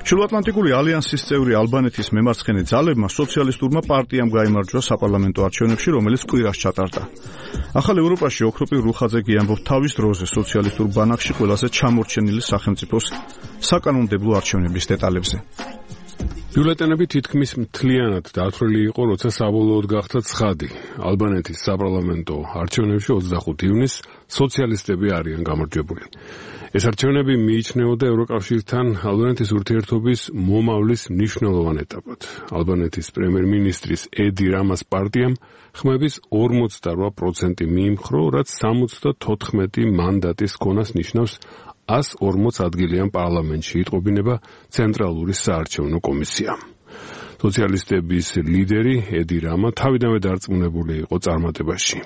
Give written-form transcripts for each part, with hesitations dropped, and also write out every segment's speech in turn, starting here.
ჩრდილოატლანტიკური ალიანსის წევრი ალბანეთის მემარცხენე ძალებმა სოციალისტურმა პარტიამ გაიმარჯვა საპარლამენტო არჩევნებში, რომელიც კვირას ჩატარდა. ახალ ევროპაში ოქროპირ რუხაძე ამბობს თავის დროზე სოციალისტურ ბანაკში ყველაზე ჩამორჩენილი სახელმწიფოს საკანონმდებლო არჩევნების დეტალებზე. ბიულეტენები თითქმის მთლიანად დათვლილი იყო, როცა საბოლოოდ გახდა ცხადი. ალბანეთის საპარლამენტო არჩევნებში 25 ივნისს სოციალისტები არიან გამარჯვებული. ეს არჩევნები მიიჩნეოდა ევროკავშირთან ალბანეთის ურთიერთობის მომავლის მნიშვნელოვან ეტაპად. ალბანეთის პრემიერ-მინისტრის ედი რამას პარტიამ ხმების 48% მიიმხრო, რაც 74 მანდატის ქონას ნიშნავს 140 ადგილიან პარლამენტში იტყობინება ცენტრალური საარჩევნო კომისია. სოციალისტების ლიდერი ედი რამა თავიდანვე დარწმუნებული იყო წარმატებაში.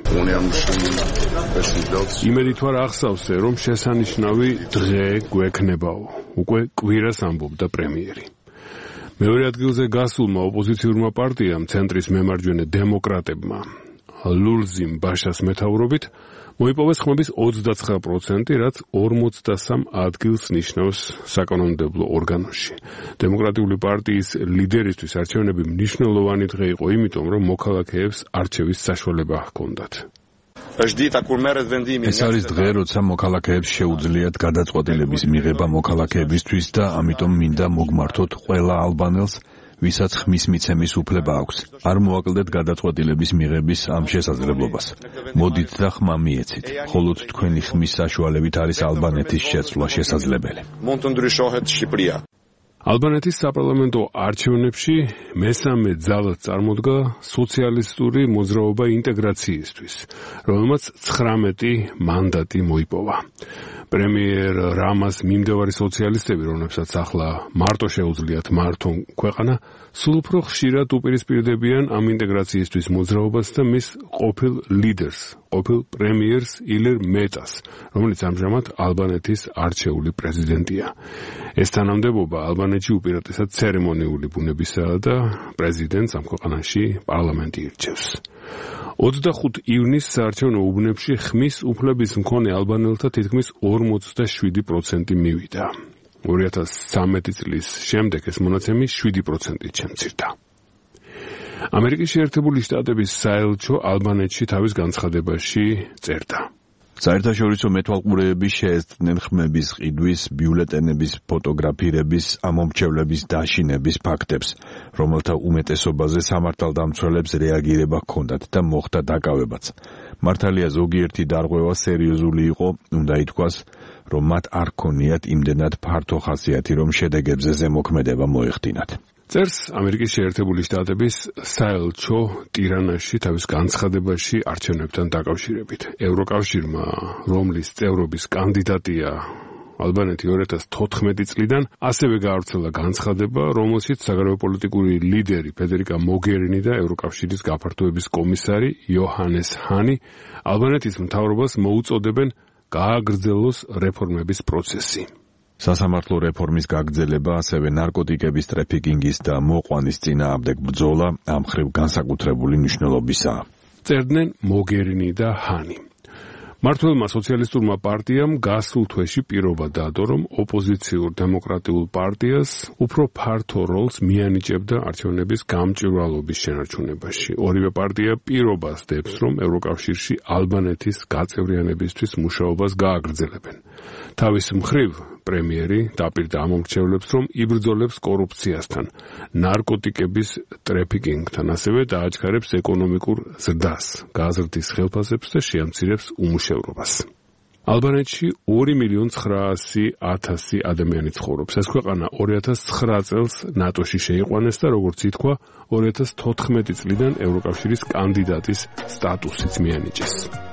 იმედით ვარ ახსავსე, რომ შესანიშნავი დღე გვექნებაო. უკვე კვირას ამბობდა პრემიერი. მეორე ადგილზე გასულმა ოპოზიციურმა პარტიამ ცენტრის მემარჯვენე დემოკრატებმა ლულზიმ ბაშას მეთაურობით მოიპოვეს ხმების 29%, რაც 43 ადგილს ნიშნავს საკანონმდებლო ორგანოში. დემოკრატიული პარტიის ლიდერისთვის არჩევნები მნიშვნელოვანი დღე იყო, იმიტომ რომ მოქალაქეებს არჩევის საშუალება ჰქონდათ. ეს არის დღე, როცა მოქალაქეებს შეუძლიათ გადაწყვეტილების მიღება მოქალაქეებისთვის და ამიტომ მინდა მოგმართოთ ყველა ალბანელს, ვისაც ხმის მიცემის უფლება აქვს. არ მოაკლდეთ გადაწყვეტილების მიღების ამ შესაძლებლობას. მოდით და ხმა მიეცით. მხოლოდ თქვენი ხმის საშუალებით არის ალბანეთის შეცვლა შესაძლებელი. ალბანეთის საპარლამენტო არჩევნებში მესამე ძალად წარმოდგა სოციალისტური მოძრაობა ინტეგრაციისთვის, რომელმაც 19 მანდატი მოიპოვა. პრემიერ რამას მიმდევარი სოციალისტები, რომლებსაც ახლა მარტო შეუძლიათ მართონ ქვეყანა, სულ უფრო ხშირად უპირისპირდებიან ამ ინტეგრაციისთვის მოძრაობას და მის ყოფილ ლიდერს, ყოფილ პრემიერს ილერ მეტას, რომელიც ამჟამად ალბანეთის არჩეული პრეზიდენტია. ეს თანამდებობა ალბანეთში უპირატესად ცერემონიული ბუნებისაა და პრეზიდენტს ამ ქვეყანაში პარლამენტი ირჩევს. 25 ივნისს საარჩევნო უბნებში ხმის უფლების მქონე ალბანელთა თითქმის 47% მივიდა. 2013 წლის შემდეგ ეს მონაცემი 7%-ით შემცირდა. ამერიკის შეერთებული შტატების საელჩო ალბანეთში თავის განცხადებაში წერდა. საერთაშორისო მეთვალყურეები შეესწრნენ ხმების ყიდვის, ბიულეტენების ფოტოგრაფირების, ამომრჩევლების დაშინების ფაქტებს, რომელთა უმეტესობაზე სამართალდამცველებს რეაგირება ჰქონდათ და მოხდა დაკავებაც. მართალია ზოგიერთი დარღვევა სერიოზული იყო, უნდა ითქვას, რომ მათ არ ქონიათ იმდენად ფართო ხასიათი, რომ შედეგებზე ზემოქმედება მოეხდინათ. წერს ამერიკის შეერთებული შტატების საელჩო ტირანაში თავის განცხადებაში არჩევნებთან დაკავშირებით. ევროკავშირმა, რომლის წევრობის კანდიდატია ალბანეთი 2014 წლიდან, ასევე გაავრცელა განცხადება, რომელშიც საგარეო პოლიტიკური ლიდერი ფედერიკა მოგერინი და ევროკავშირის გაფართოების კომისარი იოჰანეს ჰანი ალბანეთის მთავრობას მოუწოდებენ გააგრძელოს რეფორმების პროცესი. სასამართლო რეფორმის გაგრძელება, ასევე ნარკოტიკების ტრაფიკინგის და მოყვანის წინააღმდეგ ბრძოლა ამ მხრივ განსაკუთრებული მნიშვნელობისაა. წერდნენ მოგერინი და ჰანი. მმართველმა სოციალისტურმა პარტიამ გასულ თვეში პირობა დადო, რომ ოპოზიციურ დემოკრატიულ პარტიას უფრო ფართო როლს მიანიჭებდა არჩევნების გამჭვირვალობის შენარჩუნებაში. ორივე პარტია პირობას დებს, რომ ევროკავშირში ალბანეთის გაწევრიანებისთვის მუშაობას გააგრძელებენ. თავის მხრივ პრემიერი დაპირდა ამომრჩევლებს, რომ იბრძოლებს კორუფციასთან, ნარკოტიკების ტრაფიკინგთან, ასევე დააჩქარებს ეკონომიკურ ზრდას, გაზრდის ხელფასებს და შეამცირებს უმუშევრობას. ალბანეთში 2.900.000 ადამიანი ცხოვრობს. ეს ქვეყანა 2009 წელს ნატოში შეიყვანეს და როგორც ითქვა, 2014 წლიდან ევროკავშირის კანდიდატის სტატუსიც მიანიჭეს.